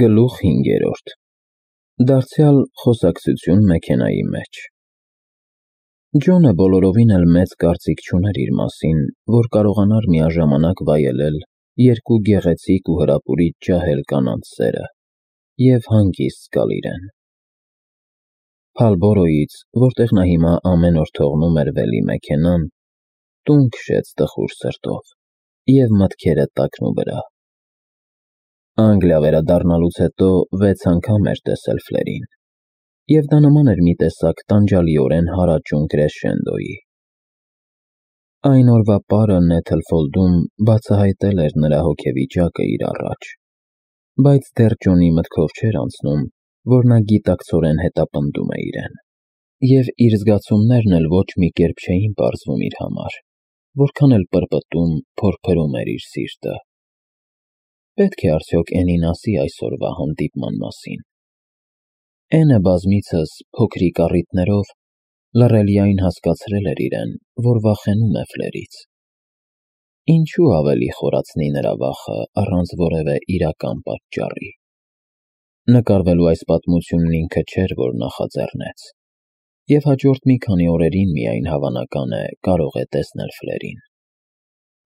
Գլուխ 5. Դարձյալ խոսակցություն մեքենայի մեջ։ Ջոնը բոլորովին էլ մեծ կարծիք չուներ իր մասին, որ կարողանար միաժամանակ վայելել երկու գեղեցիկ ու հրապուրիչ ջահել կանանց սերը և հանգիստ զգալ իրեն։ Փալբորոյից, որտեղ նա հիմա ամեն օր թողնում էր վելի մեքենան, տուն քշեց տխուր սրտով և մտքերը տակնու վրա։ Անգլիա վերադառնալուց հետո 6 անգամ էր տեսել Ֆլերին, և դա նման էր մի տեսակ տանջալիորեն հարաճուն կրեշենդոյի։ Այն օրվա պարը Նեթլֆոլդում բացահայտել էր նրա հոգեվիճակը իր առաջ, բայց դեռ Ջոնի մտքով չէր անցնում, որ նա գիտակցորեն հետապնդում է իրեն, և իր զգացումներն էլ ոչ մի կերպ չէին պարզվում իր համար, որքան էլ պրպտում, փորփրում էր իր սիրտը։ Պետք է արդյոք Էնին ասի այսօրվա հանդիպման մասին։ Էնը բազմիցս փոքրիկ առիթներով լռելիային հասկացրել էր իրեն, որ վախենում է Ֆլերից։ Ինչու ավելի խորացնի նրա վախը առանց որևէ իրական պատճառի։ Նկարվելու այս պատմությունն ինքը չէր, որ նախաձեռնեց, և հաջորդ մի քանի օրերին միայն հավանական է կարող է տեսնել Ֆլերին։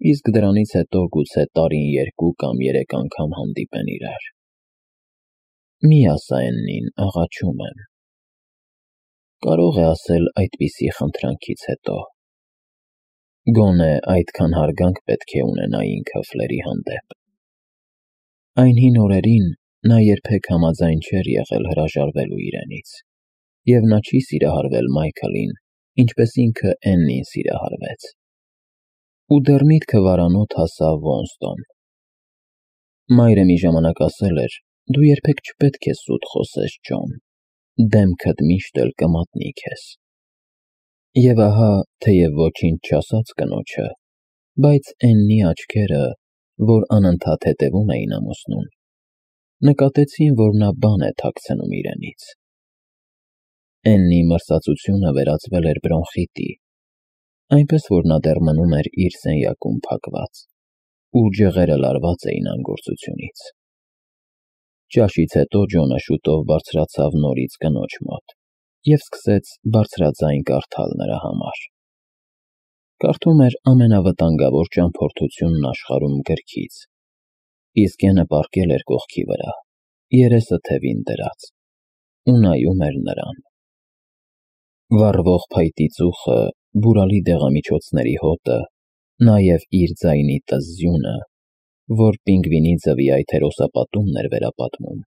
Իսկ դրանից հետո գուցե տարին 2 կամ 3 անգամ հանդիպեն իրար։ Մի ասա Էննին, աղաչում եմ։ Կարող է ասել այդպիսի խնդրանքից հետո։ Գոնե այդքան հարգանք պետք է ունենա ինքը Ֆլերի հանդեպ։ Այն հին օրերին նա երբեք համաձայն չէր եղել հրաժարվելու իրենից, և նա չի սիրահարվել Մայքլին, ինչպես ինքը Էննին սիրահարվեց։ Ու դեռ միտքը վարանոտ հասավ Ոնստոն։ Մայրը մի ժամանակ ասել էր. «Դու երբեք չպետք է սուտ խոսես, Ջոն, դեմքդ միշտ էլ կմատնի քեզ»։ Եվ ահա, թեև ոչինչ չասաց կնոջը, բայց Էննի աչքերը, որ անընդհատ հետևում էին ամուսնուն, նկատեցին, որ նա բան է թաքցնում իրենից։ Էննի մրսածությունը վերածվել էր բրոնխիտի, այնպես որ նա դեռ մնում էր իր սենյակում փակված, ու ջղերը լարված էին անգործությունից։ Ճաշից հետո Ջոնը շուտով բարձրացավ նորից կնոջ մոտ և սկսեց բարձրաձայն կարդալ նրա համար։ Կարդում էր ամենավտանգավոր ճամփորդությունն աշխարհում գրքից, իսկ Էնը պառկել էր կողքի վրա, երեսը թևին դրած, ու նայում էր նրան։ Վառվող փայտի ծուխը, բուրալի դեղամիջոցների հոտը, նաև իր ձայնի տզզյունը, որ պինգվինի ձվի այթերոսապատումն էր վերապատմում,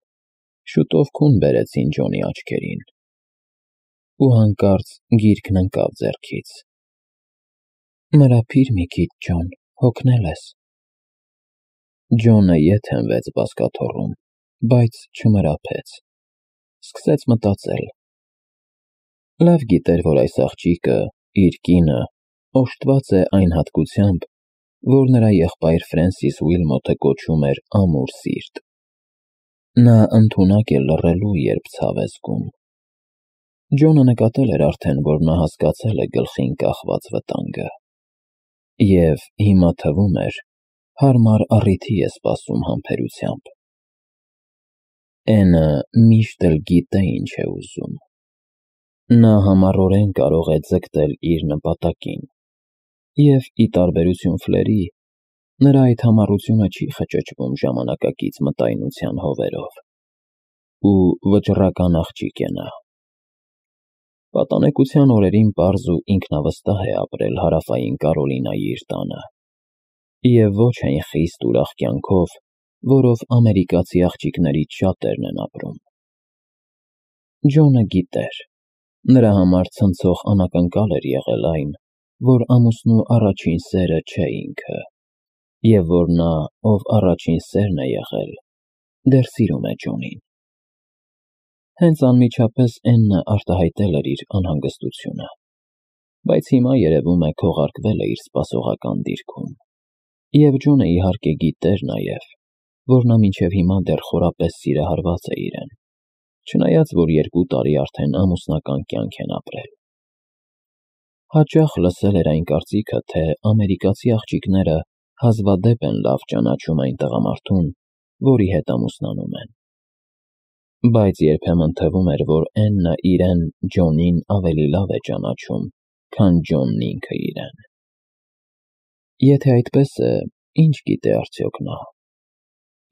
շուտով քուն բերեցին Ջոնի աչքերին։ Ու հանկարծ գիրքն ընկավ ձեռքից։ Մրափիր մի քիչ, Ջոն, հոգնել ես։ Ջոնը ետ հենվեց բազկաթոռում, բայց չմրափեց։ Սկսեց մտածել։ Լավ գիտեր, որ այս աղջիկը, իր կինը, օժտված է այն հատկությամբ, որ նրա եղբայր Ֆրենսիս Ուիլմոթը կոչում էր ամուր սիրտ։ Նա ընդունակ է լռելու, երբ ցավ է զգում։ Ջոնը նկատել էր արդեն, որ նա հասկացել է գլխին կախված վտանգը։ Եվ հիմա թվում էր, հարմար առիթի է սպասում համբերությամբ։ Էնը միշտ էլ գիտե ինչ է ուզում։ Նա համառորեն կարող է ձգտել իր նպատակին, և, ի տարբերություն Ֆլերի, նրա այդ համառությունը չի խճճվում ժամանակակից մտայնության հովերով։ Ու վճռական աղջիկ է նա։ Պատանեկության օրերին պարզ ու ինքնավստահ է ապրել Հարավային Կարոլինայի իր տանը, և ոչ այն խիստ ուրախ կյանքով, որով ամերիկացի աղջիկներից շատերն են ապրում։ Ջոնը գիտեր, նրա համար ցնցող անակնկալ էր եղել այն, որ ամուսնու առաջին սերը չէ ինքը, և որ նա, ով առաջին սերն է եղել, դեռ սիրում է Ջոնին։ Հենց անմիջապես Էննը արտահայտել էր իր անհանգստությունը, բայց հիմա երևում է քողարկվել է իր սպասողական դիրքում։ Եվ Ջոնը իհարկե գիտեր նաև, որ նա մինչև հիմա դեռ խորապես սիրահարված է իրեն, չնայած որ 2 տարի արդեն ամուսնական կյանք են ապրել։ Հաճախ լսել էր այն կարծիքը, թե ամերիկացի աղջիկները հազվադեպ են լավ ճանաչում այն տղամարդուն, որի հետ ամուսնանում են, Բայց երբեմն թվում էր, որ Էննը իրեն Ջոնին ավելի լավ է ճանաչում, քան Ջոնն ինքը իրեն։ Եթե այդպես է, ինչ գիտե արդյոք նա։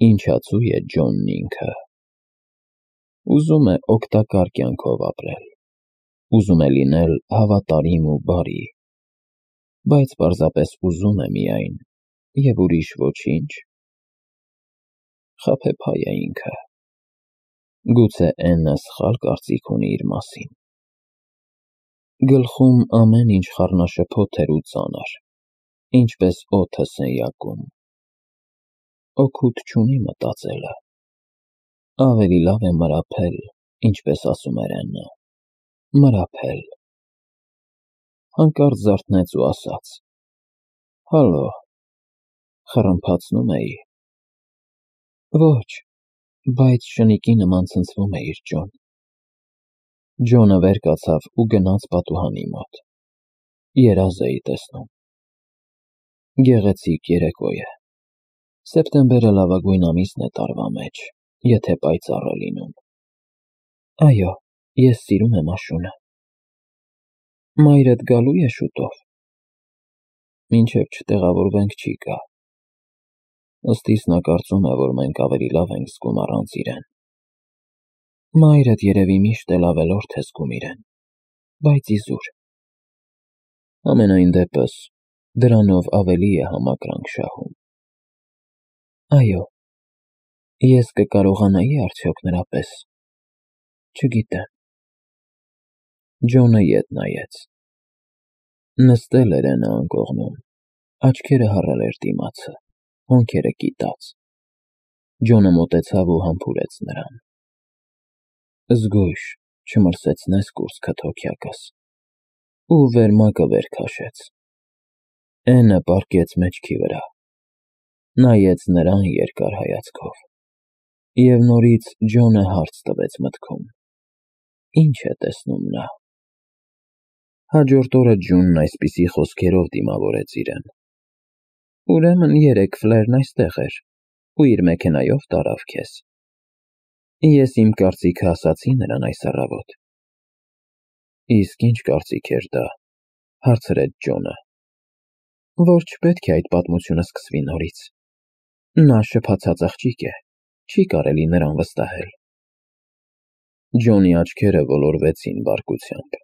Ինչացու է Ջոնն ինքը։ Ուզում է օգտակար կյանքով ապրել։ Ուզում է լինել հավատարիմ ու բարի, բայց պարզապես ուզում է միայն, և ուրիշ ոչինչ։ Խաբեբայ է ինքը։ Գուցե Էննը սխալ կարծիք ունի իր մասին։ Գլխում ամեն ինչ խառնաշփոթ էր ու ծանր, ինչպես օդը սենյակում։ Օգուտ չունի մտածելը։ Ավելի լավ է մրափել, ինչպես ասում էր Էննը։ Մրափել։ Հանկարծ զարթնեց ու ասաց. «Հալո», խռմփացնում էի։ Ոչ, բայց շնիկի նման ցնցվում էիր, Ջոն։ Ջոնը վեր կացավ ու գնաց պատուհանի մոտ։ Երազ էի տեսնում։ Գեղեցիկ երեկո է։ Սեպտեմբերը լավագույն ամիսն է տարվա մեջ, եթե պայծառ է լինում։ Այո, ես սիրում եմ աշունը։ Մայրդ գալու է շուտով։ Մինչև չտեղավորվենք չի գա։ Ըստիս նա կարծում է, որ մենք ավելի լավ ենք զգում առանց իրեն։ Մայրդ երևի միշտ էլ ավելորդ է զգում իրեն, բայց իզուր։ Ամենայն դեպս, դրանով ավելի է համակրանք շահում։ Այո, ես կկարողանայի արդյոք նրա պես։ Չգիտեմ։ Ջոնը ետ նայեց։ Նստել էր Էննը անկողնում, աչքերը հառել էր դիմացը, հոնքերը կիտած։ Ջոնը մոտեցավ ու համբուրեց նրան։ Զգույշ, չմրսեցնես կուրծքդ հոգյակս։ Ու վերմակը վեր քաշեց։ Էննը պառկեց մեջքի վրա։ Նայեց նրան երկար հայացքով։ Եվ նորից Ջոնը հարց տվեց մտքում. ինչ է տեսնում նա։ Հաջորդ օրը Ջոնն այսպիսի խոսքերով դիմավորեց իրեն. Ուրեմն երեկ Ֆլերն այստեղ էր ու իր մեքենայով տարավ քեզ։ Ես իմ կարծիքը ասացի նրան այս առավոտ։ Իսկ ինչ կարծիք էր դա, հարցրեց Ջոնը։ Որ չպետք է այդ պատմությունը սկսվի նորից։ Նա շփացած աղջիկ է, չի կարելի նրան վստահել։ Ջոնի աչքերը ոլորվեցին բարկությամբ։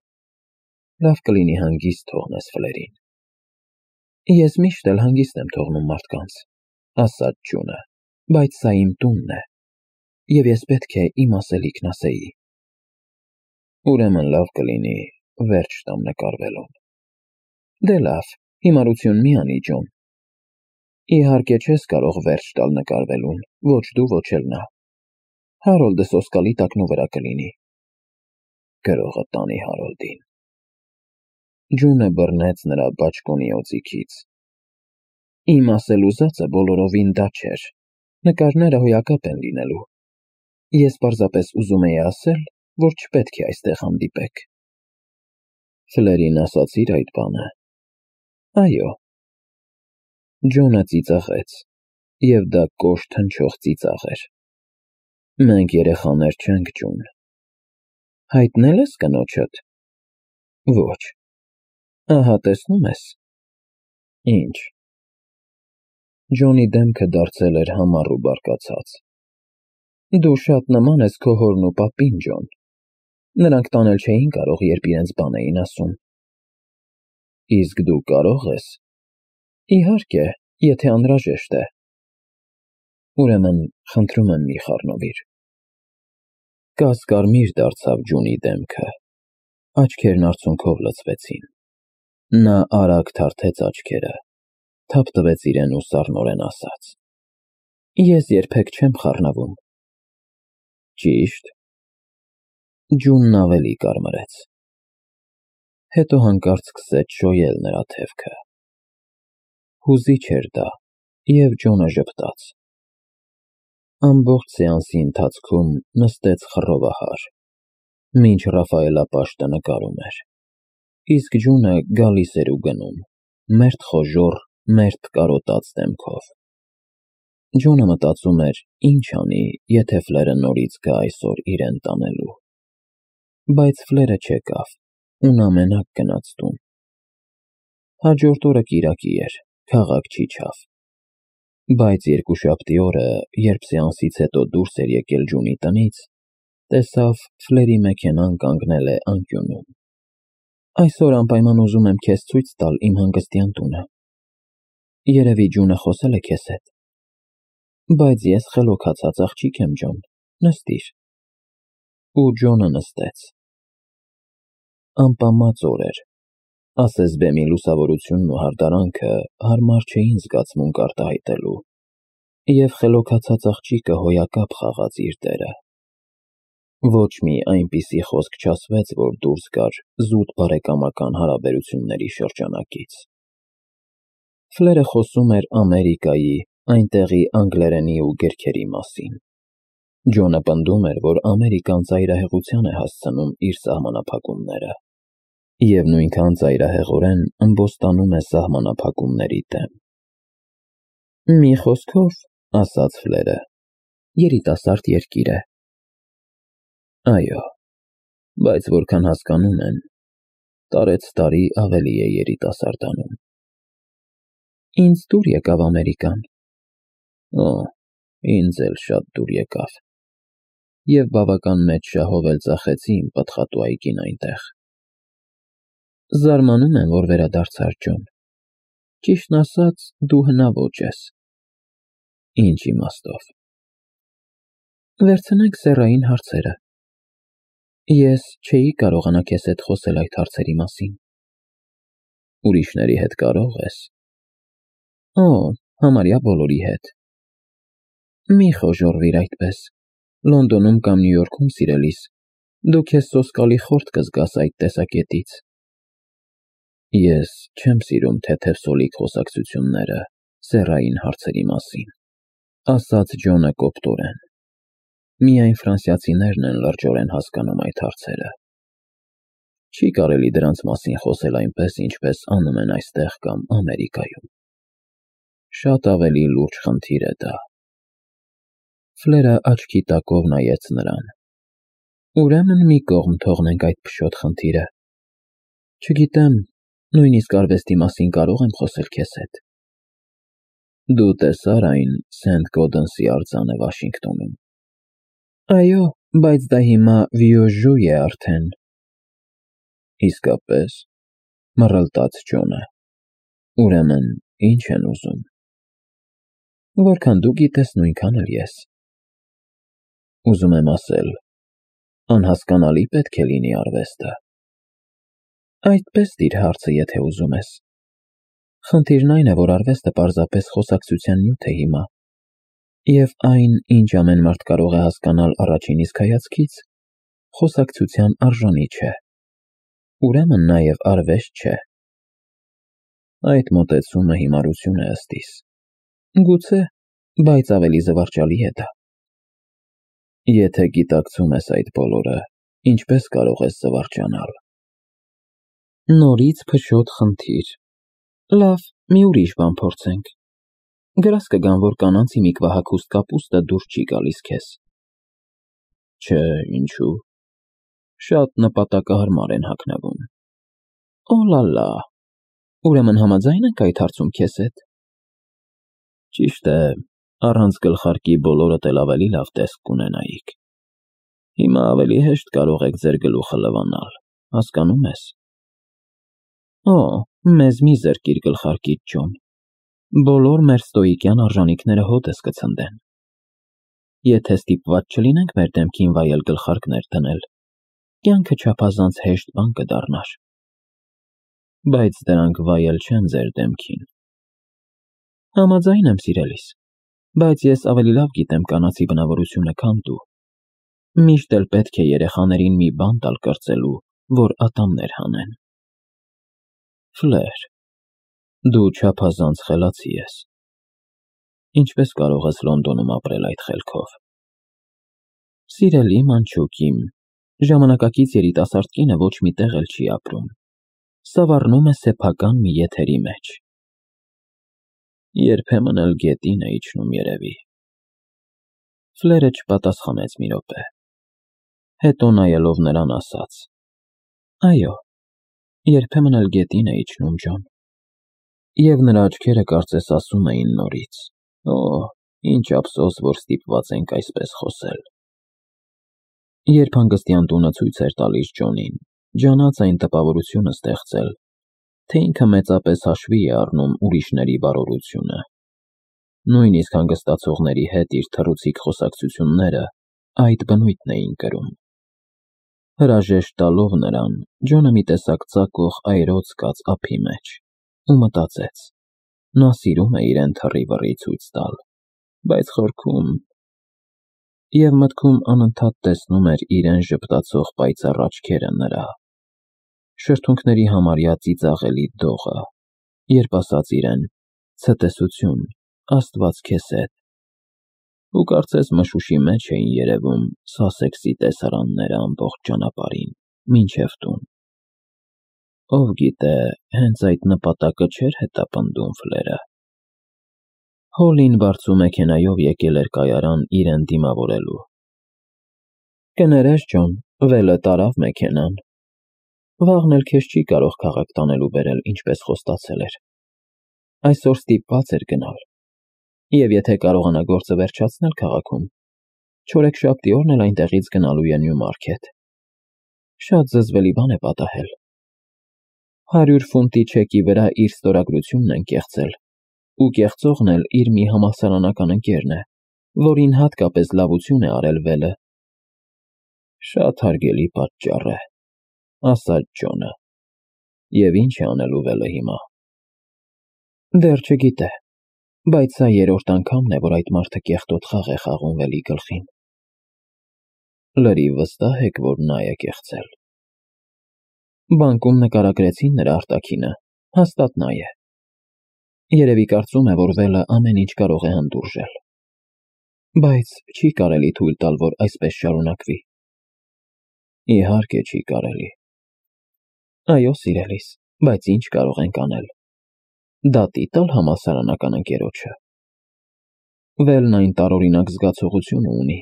Լավ կլինի հանգիստ թողնես Ֆլերին։ Ես միշտ էլ հանգիստ եմ թողնում մարդկանց, ասաց Ջոնը, բայց սա իմ տունն է, և ես պետք է իմ ասելիքն ասեի։ Ուրեմն լավ կլինի վերջ տամ նկարվելուն։ Դե լավ, հիմարություն մի անի, Ջոն։ Իհարկե չես կարող վերջ տալ նկարվելուն, ոչ դու, ոչ էլ նա։ Հարոլդը սոսկալի տակնու վրա կլինի։ Գրողը տանի Հարոլդին։ Ջոնը բռնեց նրա բաճկոնի օձիքից։ Իմ ասել ուզածը բոլորովին դա չէր։ Նկարները հոյակապ են լինելու։ Ես պարզապես ուզում էի ասել, որ չպետք է այստեղ հանդիպեք։ Ֆլերին ասացիր այդ բանը։ Այո։ Ջոնը ծիծաղեց, և դա կոշտ հնչող ծիծաղ էր։ Մենք երեխաներ չենք, Ջոն։ Հայտնել ես կնոջդ։ Ոչ։ Ահա տեսնում ես։ Ինչ։ Ջոնի դեմքը դարձել էր համառ ու բարկացած։ Դու շատ նման ես քո հորն ու պապին, Ջոն։ Նրանք տանել չէին կարող, երբ իրենց բան էին ասում։ Իսկ դու կարող ես։ Իհարկե, եթե անհրաժեշտ է։ Ուրեմն, խնդրում եմ մի խառնվիր։ Կասկարմիր դարձավ Ջոնի դեմքը։ Աչքերն արցունքով լցվեցին։ Նա արագ թարթեց աչքերը, թափ տվեց իրեն ու սառնորեն ասաց. Ես երբեք չեմ խառնվում։ Ճիշտ։ Ջոնն ավելի կարմրեց։ Հետո հանկարծ սկսեց շոյել նրա թևքը։ Հուզիչ էր դա, և Ջոնը ժպտաց։ Ամբողջ սեանսի ընթացքում նստեց խռովահար, մինչ Ռաֆայելապաշտը նկարում էր, իսկ Ջոնը գալիս էր ու գնում, մերթ խոժոռ, մերթ կարոտած դեմքով։ Ջոնը մտածում էր, ինչ անի, եթե Ֆլերը նորից գա այսօր իրեն տանելու։ Բայց Ֆլերը չեկավ, ու նա մենակ գնաց տուն։ Հաջորդ օրը կիրակի էր, քաղաք չիջավ։ Բայց երկուշաբթի օրը, երբ սեանսից հետո դուրս էր եկել Ջունի տնից, տեսավ Ֆլերի մեքենան կանգնել է անկյունում։ Այսօր անպայման ուզում եմ քեզ ցույց տալ իմ հանգստյան տունը։ Երևի Ջունը խոսել է քեզ հետ։ Բայց ես խելոքացած աղջիկ եմ, Ջոն, նստիր։ Ու Ջոնը նստեց։ Անպամած օր էր, ասես բեմի լուսավորությունն ու հարդարանքը հարմար չէին զգացմունք արտահայտելու, և խելոքացած աղջիկը հոյակապ խաղաց իր դերը։ Ոչ մի այնպիսի խոսք չասվեց, որ դուրս գար զուտ բարեկամական հարաբերությունների շրջանակից։ Ֆլերը խոսում էր Ամերիկայի, այնտեղի անգլերենի ու գրքերի մասին։ Ջոնը պնդում էր, որ Ամերիկան ծայրահեղության է հասցնում իր սահմանափակումները, և նույնքան ծայրահեղորեն ըմբոստանում է սահմանափակումների դեմ։ Մի խոսքով, ասաց Ֆլերը, երիտասարդ երկիր է։ Այո, բայց որքան հասկանում են, տարեց տարի ավելի է երիտասարդանում։ Ինձ դուր եկավ Ամերիկան։ Օ, ինձ էլ շատ դուր եկավ։ Եվ բավական մեծ շահով էլ ծախեցի իմ պտղատու այգին այնտեղ։ Զարմանում եմ, որ վերադարձար, Ջոն։ Ճիշտն ասած, դու հնաոճ ես։ Ինչ իմաստով։ Վերցնենք սեռային հարցերը։ Ես չէի կարողանա քեզ հետ խոսել այդ հարցերի մասին։ Ուրիշների հետ կարող ես։ Օ, համարյա բոլորի հետ։ Մի խոժոռվիր այդպես։ Լոնդոնում կամ Նյու Յորքում սիրելիս, դու քեզ սոսկալի խորթ կզգաս այդ տեսակետից։ Ես չեմ սիրում թեթև սոլիկ խոսակցությունները սեռային հարցերի մասին, ասաց Ջոնը կոպտորեն։ Միայն ֆրանսիացիներն են լրջորեն հասկանում այդ հարցերը։ Չի կարելի դրանց մասին խոսել այնպես, ինչպես անում են այստեղ կամ Ամերիկայում։ Շատ ավելի լուրջ խնդիր է դա։ Ֆլերը աչքի տակով նայեց նրան։ Ուրեմն մի կողմ թողնենք այդ փշոտ խնդիրը։ Չգիտեմ, նույնիսկ արվեստի մասին կարող եմ խոսել քեզ հետ։ Դու տեսա՞ր այն Սենթ Գոդենսի արձանը Վաշինգտոնում։ Այո, բայց դա հիմա Վիոժու է արդեն։ Իսկապես, մռլտաց Ջոնը։ Ուրեմն, ինչ են ուզում։ Որքան դու գիտես, նույնքան էլ ես։ Ուզում եմ ասել, անհասկանալի պետք է լինի արվեստը։ Այդպես դիր հարցը, եթե ուզում ես։ Խնդիրն այն է, որ արվեստը պարզապես խոսակցության նյութ է հիմա, և այն, ինչ ամեն մարդ կարող է հասկանալ առաջին իսկ հայացքից, խոսակցության արժանի չէ։ Ուրեմն նաև արվեստ չէ։ Այդ մոտեցումը հիմարություն է ըստիս։ Գուցե, բայց ավելի զվարճալի է դա։ Եթե գիտակցում ես այդ բոլորը, ինչպես կարող ես զվարճանալ։ Նորից փշոտ խնդիր։ Լավ, մի ուրիշ բան փորձենք։ Գրաս կգան, որ կանանց հիմիկվահագուստ կապուստը դուր չի գալիս քեզ։ Չէ, ինչու։ Շատ նպատակահարմար են հագնվում։ Օ լալա։ Ուրեմն համաձայն ենք այդ հարցում քեզ հետ։ Ճիշտ է, առանց գլխարկի բոլորդ էլ ավելի լավ տեսք կունենայիք։ Հիմա ավելի հեշտ կարող եք ձեր գլուխը լվանալ, հասկանում ես։ Օ, մեզ մի զրկիր գլխարկից, Ջոն։ Բոլոր մեր ստոիկյան արժանիքները հոտս կցնդեն։ Եթե ստիպված չլինենք մեր դեմքին վայել գլխարկներ դնել, կյանքը չափազանց հեշտ բան կդառնար։ Բայց դրանք վայել չեն ձեր դեմքին։ Համաձայն եմ, սիրելիս, բայց ես ավելի լավ գիտեմ կանացի բնավորությունը, քան դու։ Միշտ էլ պետք է երեխաներին մի բան տալ կրծելու, որ ատամներ հանեն։ Ֆլեր, դու չափազանց խելացի ես։ Ինչպես կարող ես Լոնդոնում ապրել այդ խելքով։ Սիրելի մանչուկ իմ, ժամանակակից երիտասարդ կինը ոչ մի տեղ էլ չի ապրում։ Սավառնում է սեփական մի եթերի մեջ։ Երբեմն էլ գետին է իջնում երևի։ Ֆլերը չպատասխանեց մի րոպե։ Հետո նայելով նրան ասաց. Այո, երբեմն էլ գետին է իջնում, Ջոն։ Եվ նրա աչքերը կարծես ասում էին նորից. Օ, ինչ ափսոս, որ ստիպված ենք այսպես խոսել։ Երբ հանգստյան տունը ցույց էր տալիս Ջոնին, ջանաց այն տպավորությունը ստեղծել, թե ինքը մեծապես հաշվի է առնում ուրիշների բարօրությունը։ Նույնիսկ հանգստացողների հետ իր թռուցիկ խոսակցությունները այդ բնույթն էին կրում։ Հրաժեշտ տալով նրան, Ջոնը մի տեսակ ծակող այրոց զգաց ափի մեջ ու մտածեց. նա սիրում է իրեն թռի-վռի ցույց տալ, բայց խորքում… Եվ մտքում անընդհատ տեսնում էր իրեն ժպտացող պայծառ աչքերը նրա, շրթունքների համարյա ծիծաղելի դողը, երբ ասաց իրեն. ցտեսություն, Աստված քեզ հետ, ու կարծես մշուշի մեջ էին երևում սասեքսի տեսարանները ամբողջ ճանապարհին, մինչև տուն։ Ով գիտե, հենց այդ նպատակը չէր հետապնդում Ֆլերը։ Հոլին բարձու մեքենայով եկել էր կայարան իրեն դիմավորելու։ Կներես, Ջոն, վելը տարավ մեքենան։ Վաղն էլ քեզ չի կարող քաղաք տանելու բերել, ինչպես խոստացել էր։ Այսօր ստիպված էր գնալ։ Եվ եթե կարողանա գործը վերջացնել քաղաքում, չորեքշաբթի օրն էլ այնտեղից գնալու է Նյումարքեթ։ Շատ զզվելի բան է պատահել։ 100 ֆունտի չեկի վրա իր ստորագրությունն են կեղծել, ու կեղծողն էլ իր մի համալսարանական ընկերն է, որին հատկապես լավություն է արել վելը։ Շատ հարգելի պատճառ է, ասաց Ջոնը։ Եվ ինչ է անելու վելը հիմա։ Դեռ չգիտե, բայց սա երրորդ անգամն է, որ այդ մարդը կեղտոտ խաղ է խաղում վելի գլխին։ Լրիվ վստահ եք, որ նա է կեղծել։ Բանկում նկարագրեցին նրա արտաքինը, հաստատ նա է։ Երևի կարծում է, որ վելը ամեն ինչ կարող է հանդուրժել։ Բայց չի կարելի թույլ տալ, որ այսպես շարունակվի։ Իհարկե չի կարելի։ Այո, սիրելիս, բայց ինչ կարող ենք անել։ Դատի տալ համալսարանական ընկերոջը։ Վելն այն տարօրինակ զգացողությունը ունի,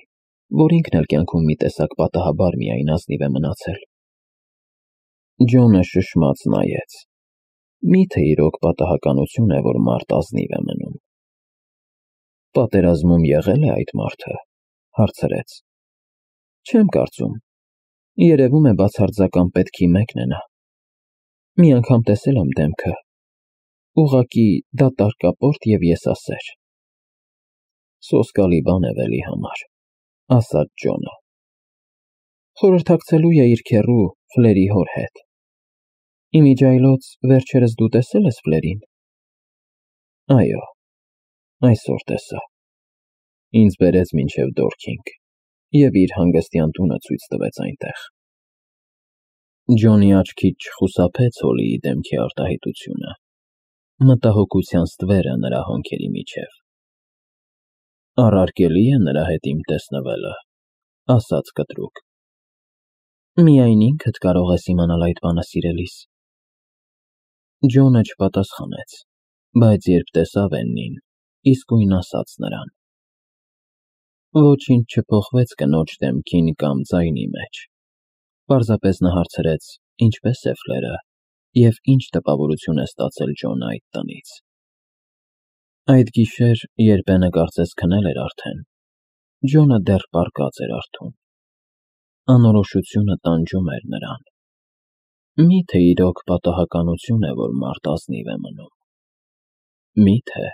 որ ինքն էլ կյանքում մի տեսակ պատահաբար միայն ազնիվ է մնացել։ Ջոնը շշմած նայեց։ Մի՞թե իրոք պատահականություն է, որ մարդ ազնիվ է մնում։ Պատերազմում եղել է այդ մարդը, հարցրեց։ Չեմ կարծում։ Երևում է բացարձական պետքի մեկն է նա։ Մի անգամ տեսել եմ դեմքը։ Ուղղակի դատարկապորտ և եսասեր։ Սոսկալի բան է վելի համար, ասաց Ջոնը։ Խորհրդակցելու է իր քեռու Ֆլերի հոր հետ։ Իմիջիայլոց վերջերս դու տեսել ես Ֆլերին։ Այո, այսօր տեսա։ Ինձ բերեց մինչև Դորքինգ և իր հանգստյան տունը ցույց տվեց այնտեղ։ Ջոնի աչքից չխուսափեց Հոլիի դեմքի արտահայտությունը, մտահոգության ստվերը նրա հոնքերի միջև։ Առարկելի է նրա հետ իմ տեսնվելը, ասաց կտրուկ։ Միայն ինքդ կարող ես իմանալ այդ բանը, սիրելիս։ Ջոնը չպատասխանեց, բայց երբ տեսավ Էննին, իսկույն ասաց նրան. Ոչինչ չփոխվեց կնոջ դեմքին կամ ձայնի մեջ։ Պարզապես նա հարցրեց. ինչպես է Ֆլերը և ինչ տպավորություն է ստացել Ջոնը այդ տնից։ Այդ գիշեր, երբ Էնը կարծես քնել էր արդեն, Ջոնը դեռ պառկած էր արթուն։ Անորոշությունը տանջում էր նրան։ Մի՞թե իրոք պատահականություն է, որ մարդ ազնիվ է մնում։ Մի՞թե։